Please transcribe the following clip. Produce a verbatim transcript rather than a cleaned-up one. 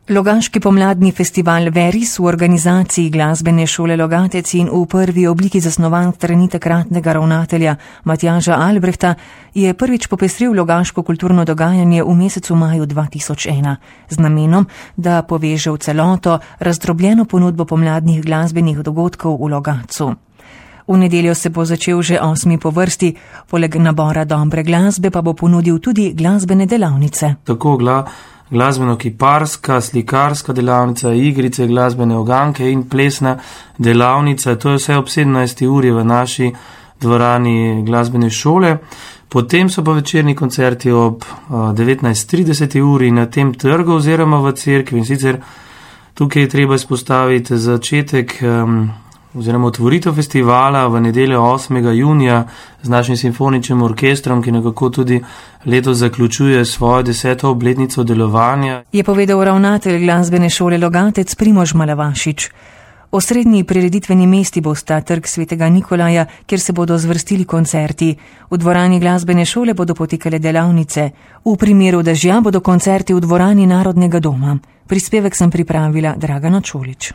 Logaški pomladni festival Veris v organizaciji Glasbene šole Logatec in v prvi obliki zasnovan strani takratnega ravnatelja Matjaža Albrehta je prvič popestril logaško kulturno dogajanje v mesecu maju dva tisoč ena z namenom, da poveže v celoto razdrobljeno ponudbo pomladnih glasbenih dogodkov v Logatcu. V nedeljo se bo začel že osmi po vrsti, poleg nabora dobre glasbe pa bo ponudil tudi glasbene delavnice. Tako gla glasbeno-kiparska, slikarska delavnica, igrice, glasbene oganke in plesna delavnica. To je vse ob sedemnajsti uri v naši dvorani glasbene šole. Potem so pa večerni koncerti ob devetnajst trideset uri na tem trgu oziroma v cerkvi. In sicer tukaj je treba izpostaviti začetek um, oziroma otvoritev festivala v nedeljo osmega junija z našim simfoničnim orkestrom, ki nekako tudi letos zaključuje svojo deseto obletnico delovanja. Je povedal ravnatelj Glasbene šole Logatec Primož Malavašič. Osrednji prireditveni mesti bosta Trg svetega Nikolaja, kjer se bodo zvrstili koncerti. V dvorani Glasbene šole bodo potekale delavnice. V primeru dežja bodo koncerti v dvorani Narodnega doma. Prispevek sem pripravila Dragana Čolič.